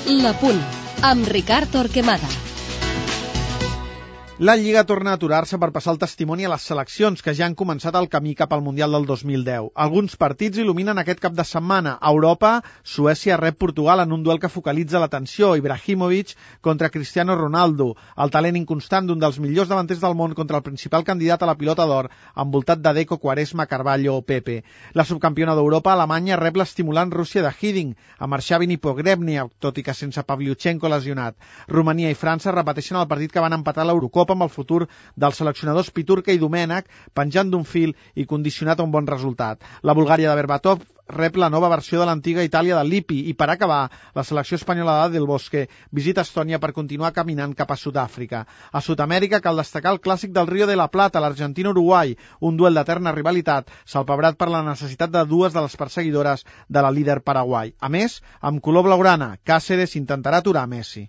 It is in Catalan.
La Punt, amb Ricard Torquemada. La Lliga torna a aturar-se per passar el testimoni a les seleccions que ja han començat el camí cap al Mundial del 2010. Alguns partits il·luminen aquest cap de setmana. A Europa, Suècia rep Portugal en un duel que focalitza l'atenció. Ibrahimovic contra Cristiano Ronaldo. El talent inconstant d'un dels millors davanters del món contra el principal candidat a la pilota d'or, envoltat de Deco, Quaresma, Carvalho o Pepe. La subcampiona d'Europa, Alemanya, rep l'estimulant Rússia de Hiddink, amb Arshavin i Pogrebny, tot i que sense Pavlyuchenko lesionat. Romania i França repeteixen el partit que van empatar a l'Eurocopa amb el futur dels seleccionadors Piturka i Domènech penjant d'un fil i condicionat a un bon resultat. La Bulgària de Berbatov rep la nova versió de l'antiga Itàlia de Lippi i, per acabar, la selecció espanyola de Del Bosque visita Estònia per continuar caminant cap a Sud-àfrica. A Sud-amèrica cal destacar el clàssic del Río de la Plata, l'Argentina-Uruguai, un duel d'eterna rivalitat, salpebrat per la necessitat de dues de les perseguidores de la líder Paraguai. A més, amb color blaugrana, Cáceres intentarà aturar Messi.